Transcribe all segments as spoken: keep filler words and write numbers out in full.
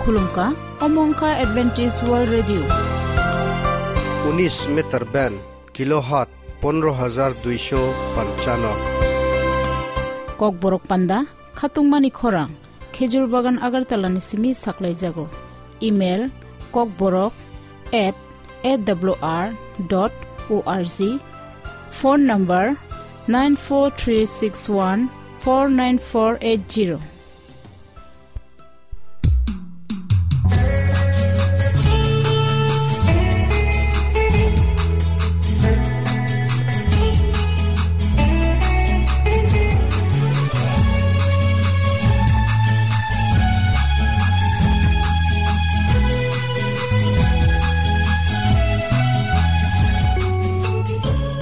Khulumkha, omo wngkha Adventist World Radio. Unis meter band, kilohertz pondro hajar duisho panchano. Kokborok panda, khatungmani khorang, Khejur Bagan Agartala ni simi saklaijago. Email, kokborok at A W R dot O R G. Phone number, nine four three six one four nine four eight zero.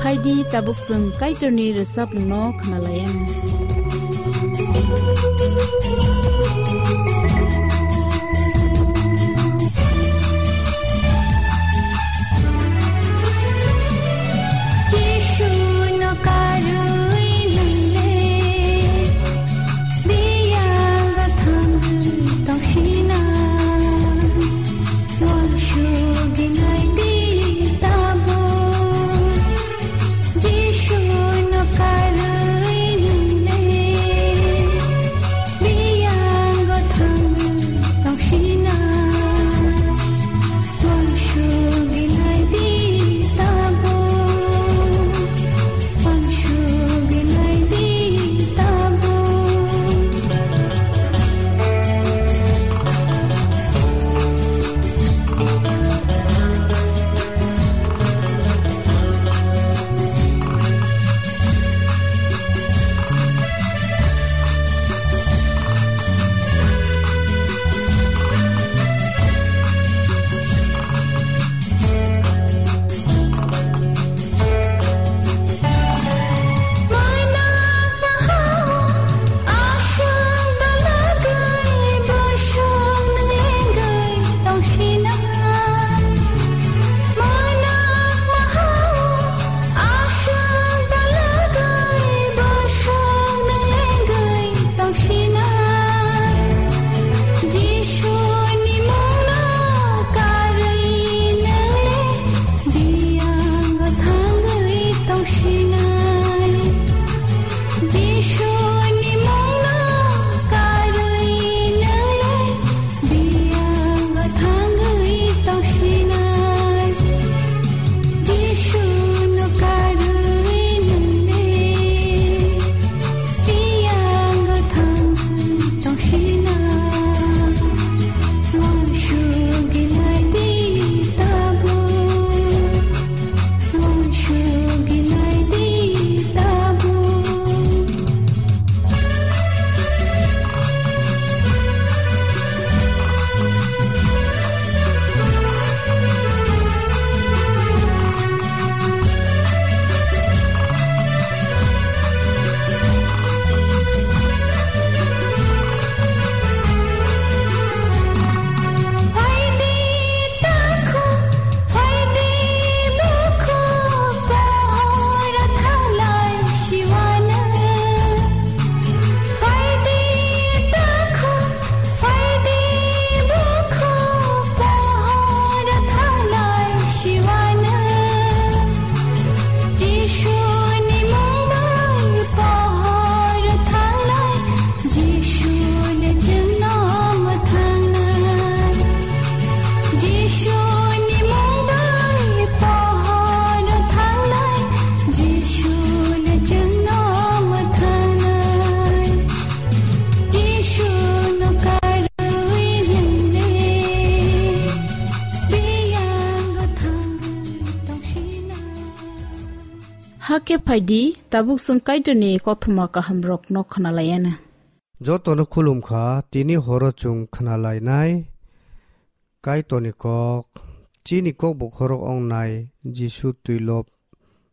Phaidi tabuk chwng Kaitorni rwchapmungno khwnalaianw. Jisuno karwi nwngle biyang gathang tongsinai. Uansugwi naidi tabuk, Jisuno karwi nwngle biyang gathang tongsinai. Uansugwi naidi tabuk, uansugwi naidi tabuk. Jisuni mungno karwi nwngle biyang gathangwi tongsinai. Jisuni mungno karwi nwngle biyang gathangwi tongsinai. Jisuno karwi nwngle biyang gathangwi tongsinai. Uansugwi naidi tabuk, uansugwi naidi tabuk. Phaidi takhuk, phaidi bukhuk, pohor thanglai siwano. Phaidi takhuk, phaidi bukhuk, pohor thanglai siwano. Jisuni mung bai pohor thanglai, Jisuni chwngno mwthangnai. Jisuni mung bai pohor thanglai, Jisuni chwngno mwthangnai. Jisuno karwi nwngle biyang gathangwi tongsinai. Hakhe phaidi, tabuk chwng Kaitorni kothoma kahamrokno khwnalaianw. Jotono khulumkha, tini horo chwng khwnalainai Kaitorni kok, chini kok bokhorok wngnai Jisu twilop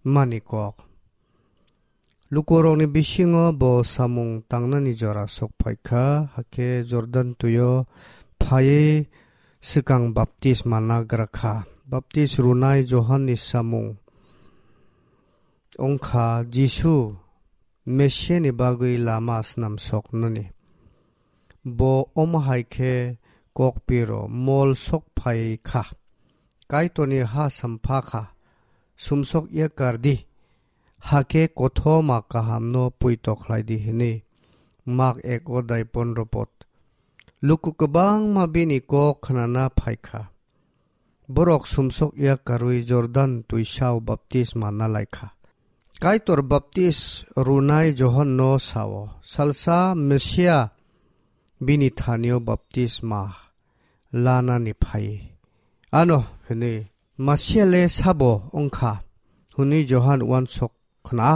mani kok. Lukurokni bisingo bo samung tangnani jora sok phaikha, hakhe Jordan twio phaiwi swkang baptisma nagra kha. Baptis rwnai Johanni samung wngkha Jisu Mesiani bagwi lama snamsoknani. Bo omo hai khe kokpiro mol sok phai kha. Kaitorni ha sampha kha, "Sumsok ya kar di, hakhe kothoma kahamno poito khlai di," hwnwi. Mak ek odai pondro pod. Luku kwbangma bini kok khnana phai kha. Borok sumsok ya karwi Jordan twisao baptisma na lai kha. Kaitor baptis rwnai Johonno sao, "Salsa Mesia bini thanio baptisma lanani phai. Ano hwnwi, Mesia le sabo wng kha?" hwnwi Johan uansuk khna.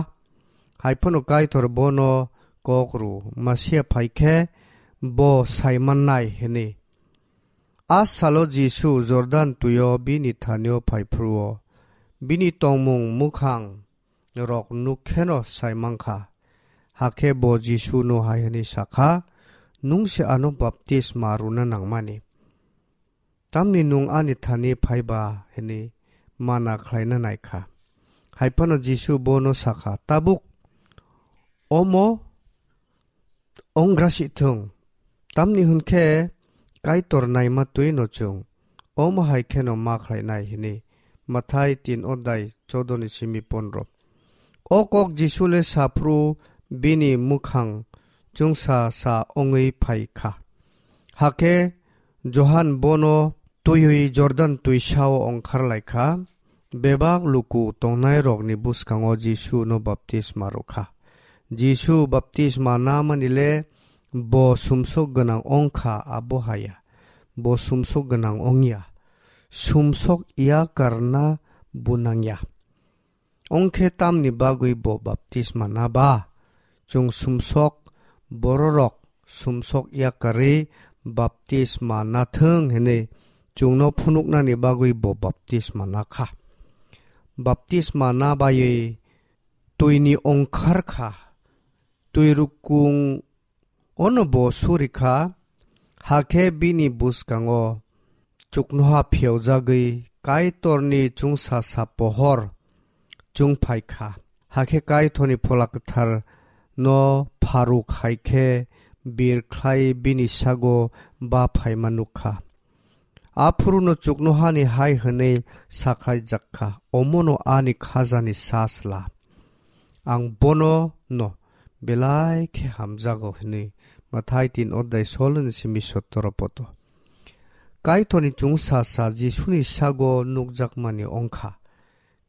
Hai phano Kaitor bono kok rw, Mesia phai khe bo sai mannai hwnwi. A salo Jisu Jordan twio bini thanio phai phuru-o, bini tongmung mwkhang rok nuk kheno sai man kha. Hakhe bo Jisuno hai hwnwi sa kha, "Nwng se ano baptisma rwna nangmani. Tamni nwng ani thani phai ba?" hwnwi mana khlaina nai kha. Hai phano Jisu bono sa kha, "Tabuk omo onggra si thung, tamni hwn khe Kaitor naima twi no chwng omo hai kheno ma khlai nai," hwnwi. Mathai tin odai chodo ni simi pondro. O kok Jisu le sa phuru bini mwkhang chwngsa sa wngwi phai kha. Hakhe Johan bono twiwi Jordan twisao ongkhar lai kha. Bebak luku tongnairokni bwskango Jisuno baptisma rw kha. Jisu baptisma namani le bo sumsok gwnang wng kha, abo haya. Bo sumsok gwnang wng ya. Sumsok ya karna bo nang ya. Wng khe tamni bagwi bo baptisma na ba? Chwng sumsok bororok sumsok yakarwi baptisma na thung hwnwi chwngno phunuknani bagwi bo baptisma na kha. Baptisma na baiwi twini ongkhar kha, twi rukung ono bo suri kha, hakhe bini bwskango chuknoha phiyaujagwi Kaitorni chwngsasa pohor chwng phai kha. Hakhe Kaitorni Phola Kwthar no pharuk hai khe bir khlai bini sago ba phaima nuk kha. Aphuruno chuknohani hai hwnwi sakhlaijak kha, "Omono ani khajani sajla, ang bono no belai khe hamjago," hwnwi. Mathai tin odai solo ni simi sotoro poto. Kaitorni chwngsasa Jisuni sago nukjakmani wng kha.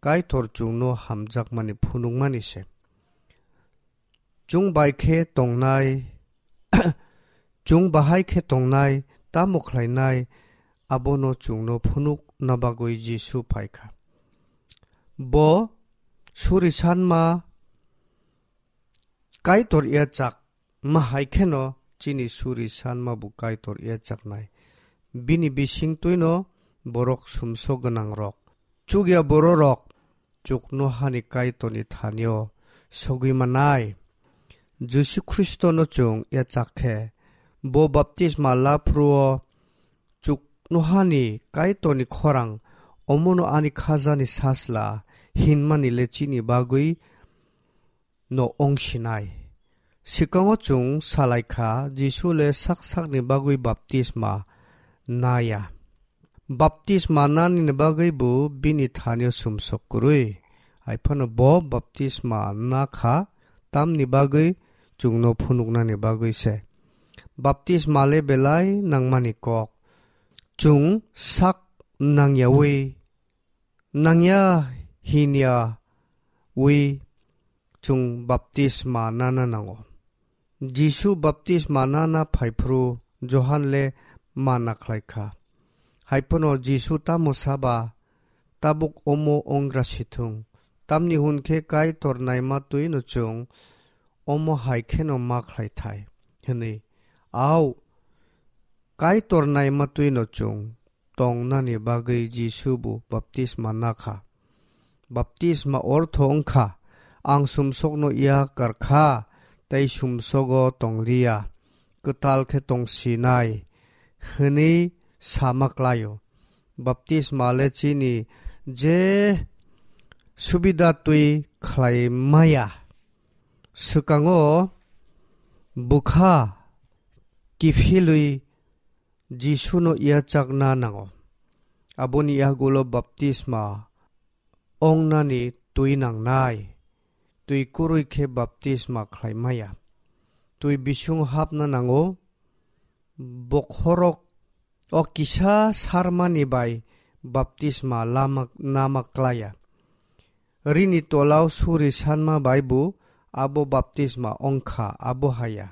Kaitor chwngno hamjakmani phunukmani se. Chwng bai khe tongnai, chwng bahai khe tongnai, tamo khlainai, abono chwngno phunukna bagwi Jisu phai kha. Bo suri sanma Kaitor yachak ma hai kheno chini suri sanma bo Kaitor yachaknai. Bini bising twino borok sumsok gwnangrok, chukya bororok chuknohani Kaitorni thanio sogwi manai. Jisu Khristono chwng yachak khe, bo baptisma laphuru-o chuknohani Kaitorni khorang, "Omono ani khajani sajla," hinmani le chini bagwi no wng sinai. Swkango chwng salai kha, Jisu le sak sakni bagwi baptisma na ya. Baptisma nani ni bagwi bo bini thanio sumsok kwrwi. Hai phano bo baptisma na kha, tamni bagwi chwngno phunuknani bagwi se. Baptisma le belai nangmani kok. Chwng sak nangyawi nangya hinya wi chwng baptisma nana nango. Jisu baptisma nana phaiphuru Johan le mana khlai kha. Hai phano Jisu tamo saba, "Tabuk omo wngra sithung, tamni hwn khe Kaitor naima twino chwng omo hai kheno ma khlai thai," hwnwi. Au, Kaitor naima twino chwng tongnani bagwi Jisu bo baptisma na kha. Baptisma ortho wng kha, "Ang sumsokno yak kar kha tei sumsogo tong li ya, kwtal khe tong sinai," hwnwi sama klai-o. Baptisma le chini je subida twi khlai maya. Swkango bwkha kiphilwi Jisuno yachakna nango. Aboni yagulo baptisma ongnani twi nangnai. Twi kwrwi khe baptisma khlai maya. Twi bisingo hapna nango. Bokhorok o kisa sarmani bai baptisma lama, nama klaya. Rini tolao suri sanma bai bo abo baptisma ongkha, abo haya.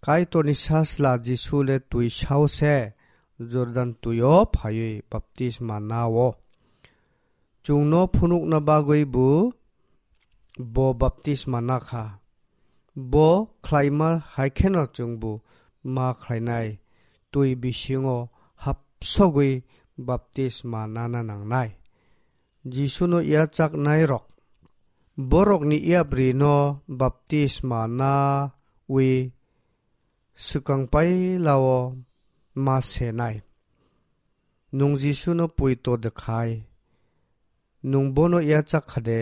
Kaitorni sasla Jisu le twi sao se Jordan twio phaiwi baptisma nao. Chwngno phunukna bagwi bo, bo baptisma nakha. Bo khlaima hai kheno chwngbo ma khlainai, twi bisingo hapsogwi baptisma nana nangnai. Jisuno yachaknairok, borokni yaprino baptisma nawi swkang pailao ma senai. Nwng Jisuno poito de khai, nwng bono yachak kha de,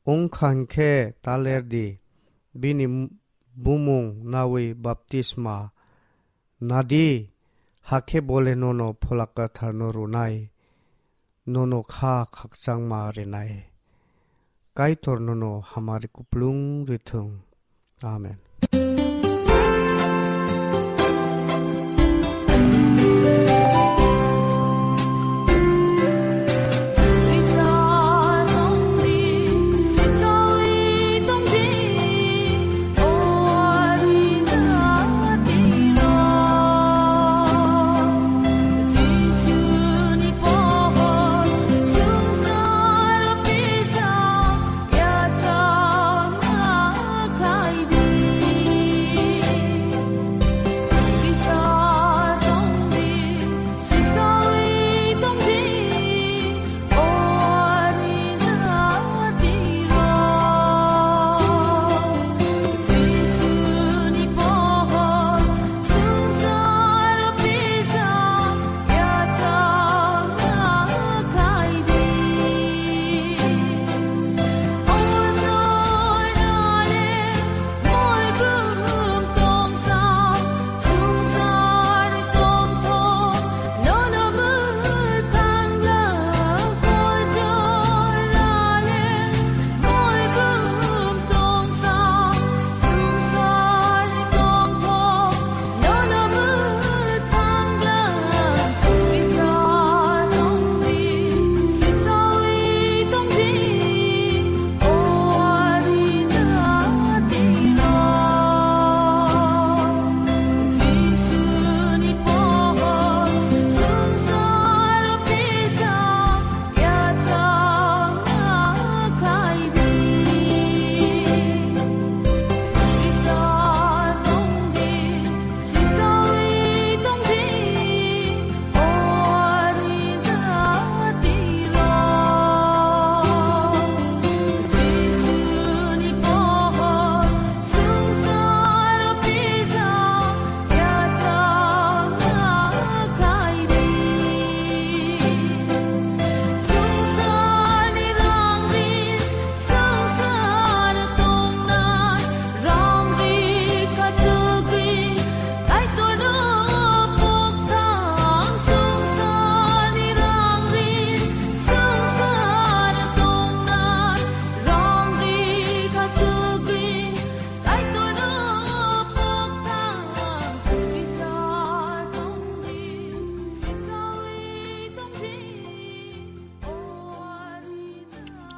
wng kha hwn khe ta ler di, bini bumung nawi baptisma na di, hakhe bo le nono Phola Kwtharno rwnai, nono kha khakchangma rwnai. Kaitor nono hamari kuplung rwthwng. Amen.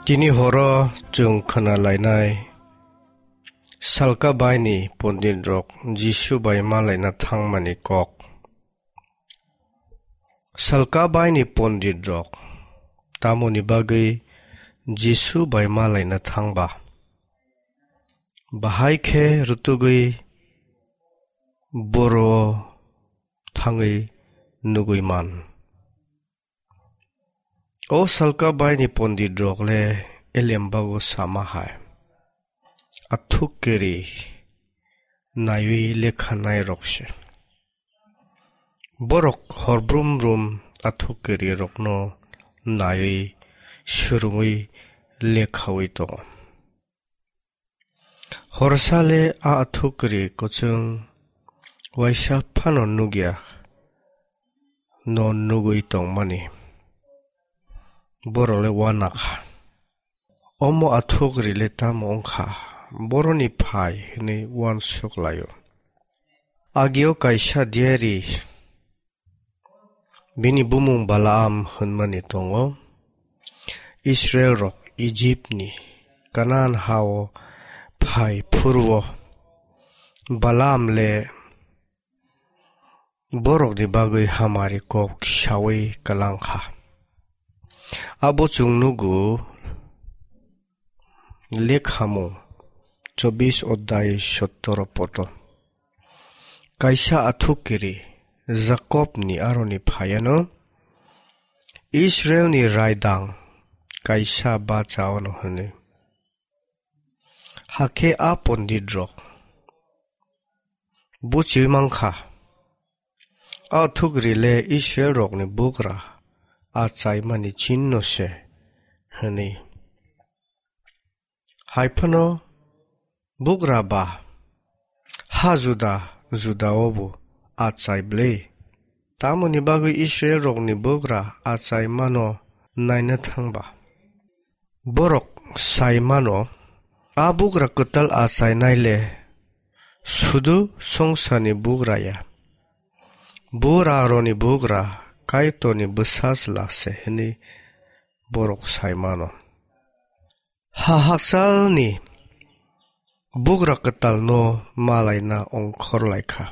Tini horo chwng khna lainai Salka baini pondit rok Jisu bai malaina thangmani kok. Salka baini pondit rok tamoni bagwi Jisu bai malaina thangba? Bahai khe rutugwi boro thangwi nugwi man. O salka baini pondit rok le elembago sama hai. Athuk keri naiwi lekha nai rok se. Borok hor brum brum athuk keri rokno naiwi swrwngwi lekhawi tongo. Horsa le a athuk kri kwchwng waisa phano nukya, no nugwi tongmani borok le uanakha. Omo athukri le tamo wngkha? Boroni phai hwnwi uansuk lai-o. Agio kaisa diari, bini bumung Balaam hwnmani tongo. Israilrok Ijipni Kanaan ha-o phai phuru-o Balaam le borokni bagwi hamari kok saui kwlang kha. Abo chwng nugo Lekhamung chobbish odhyay sotoro poto. Kaisa athukiri Jakobni aroni phaiano Israilni raidang kaisa bachaono hwnwi. Hakhe a ponditrok buchiui mankha, a thukri le Israilrokni bugra achaimani chinno se hwnwi. Hai phano bugra ba ha juda juda-o bo achai bwlwi. Tamoni bagwi Israilrokni bugra achaimano naina thangba. Borok sai mano, a bugra kwtal achainai le sudu songsani bugra ya. Buraroni bugra Kaitorni bwsajla se hwnwi borok sai mano. Ha hakchalni bugra kwtalno malaina ongkhor lai kha.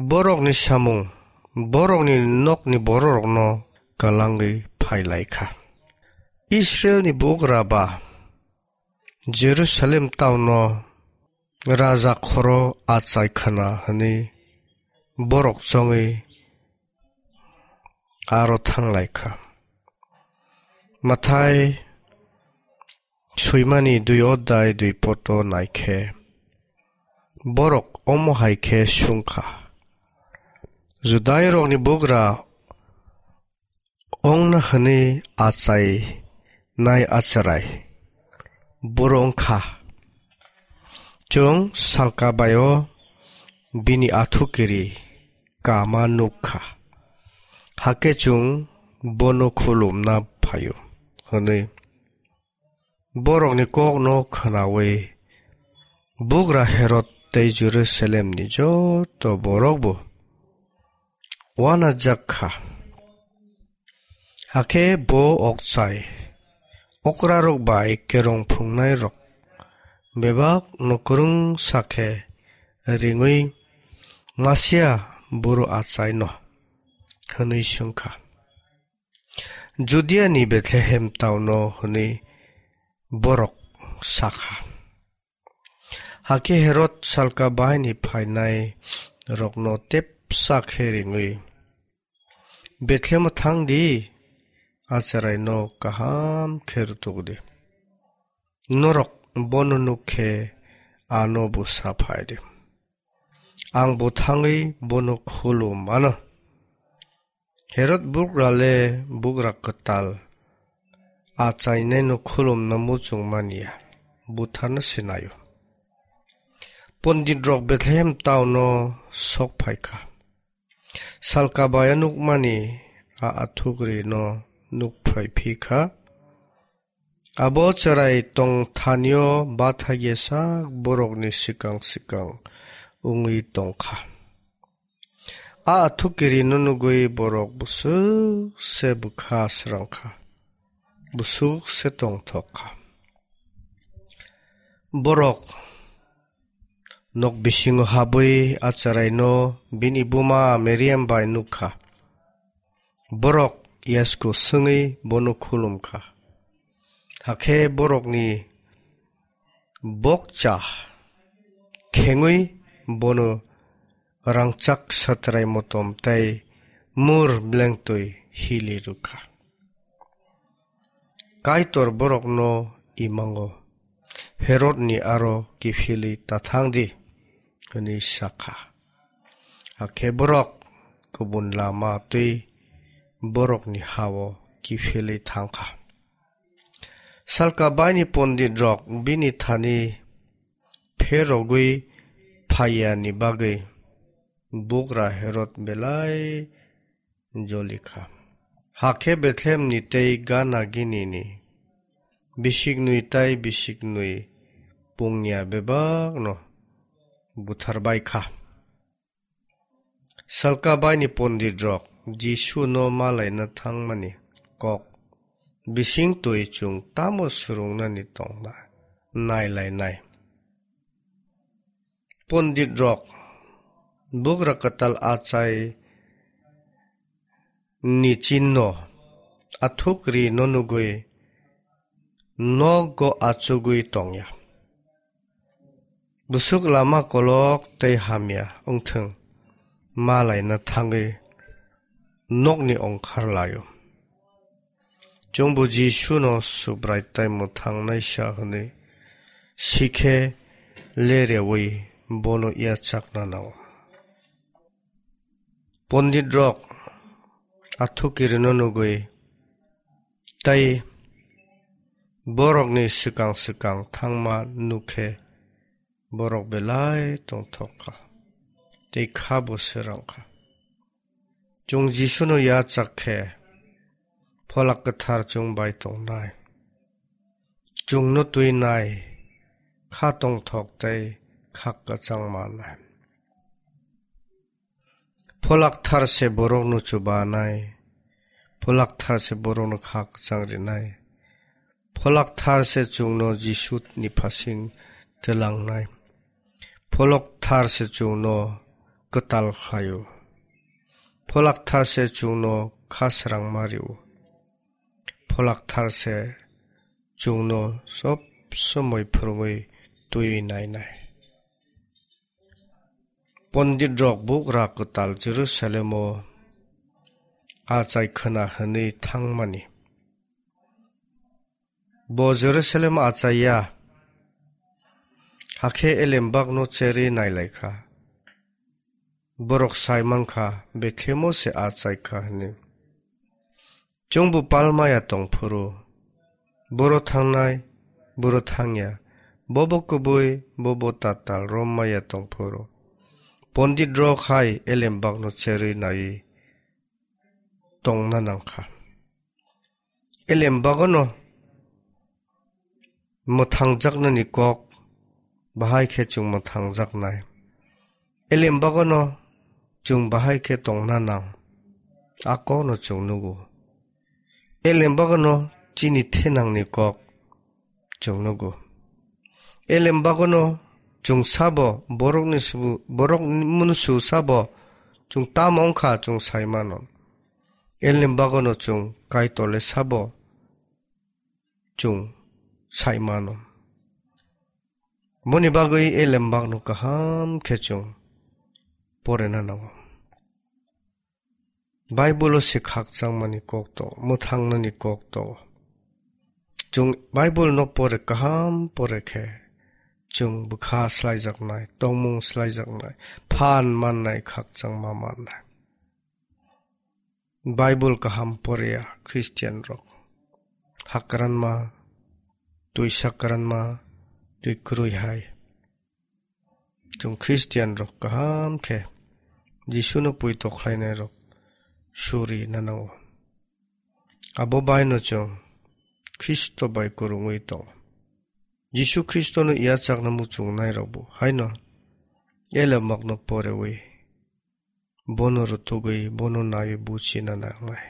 Borokni samung, borokni nokni bororokno kwlangwi phai lai kha. Israilni bugra ba Jerusalem taono raja khoro achai khna hwnwi borok chongwi aro thang lai kha. Mathai swimani dui odhyay dui poto nai khe borok omo hai khe sung kha, Judairokni bugra ongna hwnwi achainai achrai boro wng kha. Chwng salka bai-o bini athukiri kama nuk kha, hakhe chwng bono khulumna phaio, hwnwi borokni kokno khnaui bugra Herod tei Jerusalemni joto borokbo uanajak kha. Hakhe bo okchai okrarok bai kerong phungnairok bebak no kwrwngsa khe ringwi, "Masia buru achaino?" hwnwi swng kha. "Judiani Bethlehem taono," hwnwi borok sa kha. Hakhe Herod salka bahaini phainai rokno tepsa khe ringwi, "Bethlehemo thang di, acharaino kaham khe rwtuk di. Norok bono nuk khe ano busa phai di. Ang bo thangwi bono khulum mano." Herod bugra le bugra kwtal, achainaino khulumna muchung manya, butharna sinaio. Pondit rok Bethlehem taono sok phai kha. Salka baya nukmani a athukri no nuk phai phi kha. Abo chwrai tong thanio bathagya sak borokni swkang swkang wngwi tong kha. A athukiri no nugwi borok busuk se bwkha srang kha, busuk se tongthok kha. Borok nok bisingo habwi a chwraino bini buma Miriam bai nuk kha. Borok yasku swngwi bono khulum kha. Hakhe borokni bokcha khengwi bono rangchak satrai motom tei mur blengtwi hili rwkha. Kaitor borokno imango, "Herodni aro kiphilwi ta thang di," hwnwi sa kha. Hakhe borok kubun lama twi borokni ha-o kiphilwi thang kha. Salka baini pondit rok bini thani pherogwi phaiyani bagwi bugra Herod belai joli kha. Hakhe Bethlehemni tei Gana ginini bisiknwi tei bisiknwi pungya bebakno buthar bai kha. Salka baini pondit rok Jisu no malaina thangmani kok bising twi chwng tamo swrwngnani tongna nai lai nai. Pondit rok bugra kwtal achai ni chinno athuk ri no nugwi nogo achugwi tongya. Busuk lama kolok tei hamya wngthwng malaina thangwi nokni ongkhar laio. Chwngbo Jisuno Subrai tei mwthangnaisa hwnwi sikhe lerewi bono yachakna nango. Pondit rok athukirino nugwi tei borokni swkang swkang thangma nukhe borok belai tongthok kha tei kha bo srang kha. Chwng Jisuno yachak khe Pholak Kwthar chwng bai tongnai. Chwngno twinai, kha tongthok tei kha kwchang manai. Pholak Thar se borokno chubanai, Pholak Thar se borokno kha kwchang rinai. Pholak Thar se chwngno Jisu ni phasing twlangnai. Pholak Thar se chwngno kwtal khlaio. Pholak Thar se chwngno kha srangma rio. Pholak Thar se chwngno sob somoi phwrwngwi twiwi nainai. Pondit rok bugra kwtal Jerusalem o achai khwna hwnwi thangmani. Bo Jerusalem achaiya, hakhe elembakno cherwi nailaikha. Borok sai mankha, Bethlehemo se achai kha hwnwi. Chwngbo palmaya tongphuru, boro thangnai, boro thangya, bobo kubui, bobo tatal rommaya tongphuru. Pondit rok hai elembakno cherwi naiwi tongna nangkha. Elembakno mwthangjaknani kok bahai khe chwng mwthangjaknai. Elembakno chwng bahai khe tongna nang, a kokno chwng nugo. Elembakno chini thenangni kok chwng nugo. Elembakno chwng sabo borokni subu, borok munusu sabo chwng tamo wngkha chwng sai mano. Elembakno chwng Kaitorle sabo chwng sai mano. Boni bagwi elembakno kaham khe chwng porena nango. Bible o se khakchangmani kok tongo, mwthangnani kok tongo. Chwng Bible no pore kaham pore khe chwng bwkha slaijaknai, tongmung slaijaknai, phan mannai, khakchangma mannai. Bible kaham poreya Christian rok hakranma, twi sakranma, twi kwrwi hai. Chwng Christian rok kaham khe Jisuno poito khlainai rok suri nango. Abo baino chwng Khristo bai kwrwngwi tongo. Jisu Khristono yachakna muchungnai rokbo haino elembakno porewi bono rwtugwi bono naiwi buchina nangnai.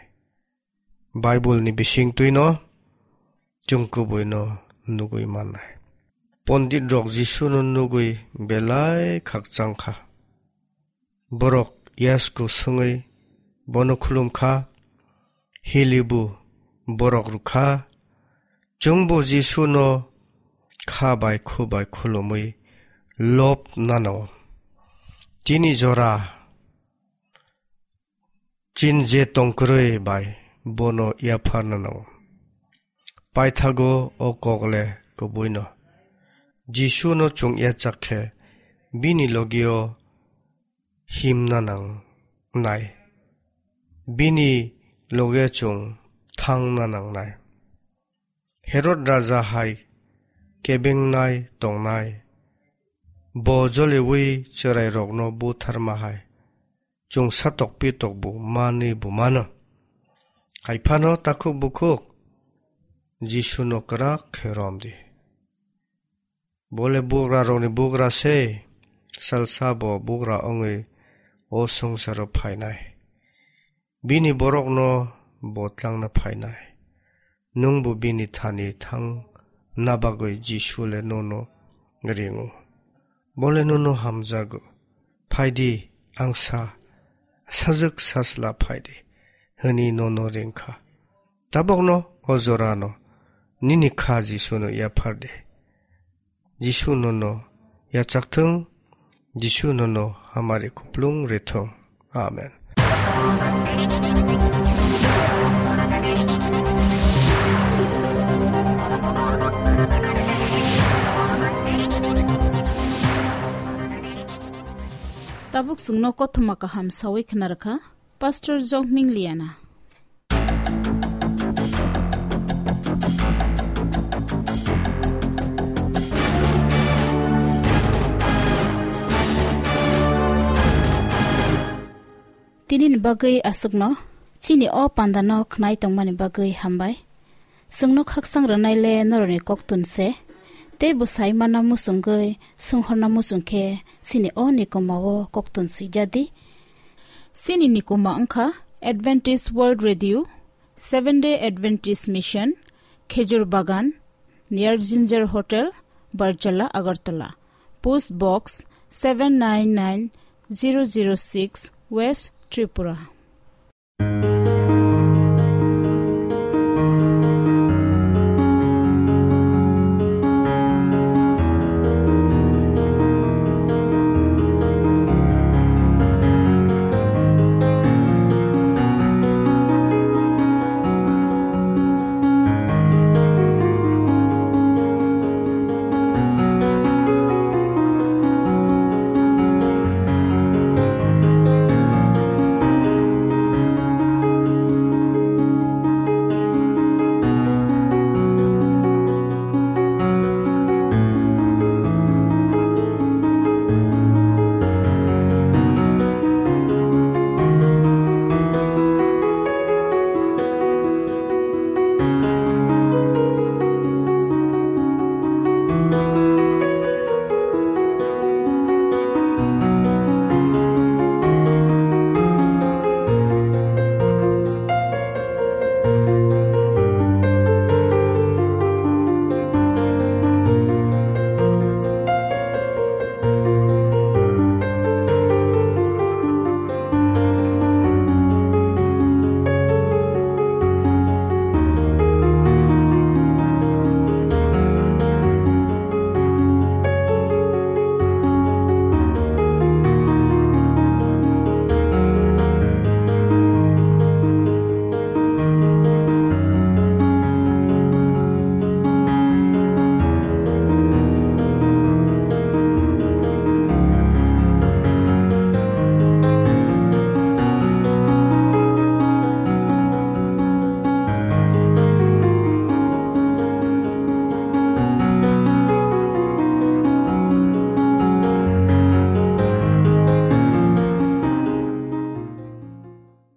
Bible ni bisingtwino chwng kubuino nugwi mannai. Pondit rok Jisuno nugwi belai khakchang kha. Borok yasku swngwi bono khulum kha, hilibu borok rw kha. Chwngbo Jisuno kha bai khu bai khulumwi lob nanao. Chini jora chin je tongkwrwi bai bono yapharna nango. Paithago o kokle kubuino. Jisuno chwng yachak khe bini logio himna nangnai. Bini loge chwng thangna nangnai. Herod raja hai kebengnai tongnai. Bo joliwi chwrairokno butharma hai. chwng satok pitok bo manwi bo mano. Hai phano takhuk bukhuk Jisuno kwrak khe rom di. Bo le bugrarokni bugra se, salsa bo bugra wngwi o swngcharo phainai. Bini borokno bo tlangna phainai. Nwng bo bini thani thangna bagwi Jisu le nono ringo. Bo le nono hamjago. "Phai di, ang sa, sajwk sajla phai di," hwnwi nono ring kha. Tabukno o jorano nini kha Jisuno yaphar di. Jisu nono yachak thung, Jisu nono hamari kuplung rithung. Amen. Tabuk chwngno kothoma kaham sawi khna rwkha Pastor Jokming Liana. Tini ni bagwi aswkno, chini o panda no khnai tongmani bagwi hambai. Chwngno khaksang rwnai le norokni koktun se, tei bwsai mana muchungwi sunghorna muchung khe chini o nikoma o koktun swijadi. Chini nikoma wngkha Adventist World Radio, Seventh Day Adventist Mission, Khejur Bagan, near Ginger Hotel, Barjala, Agartala. Post Box seven nine nine zero zero six, West Tripura.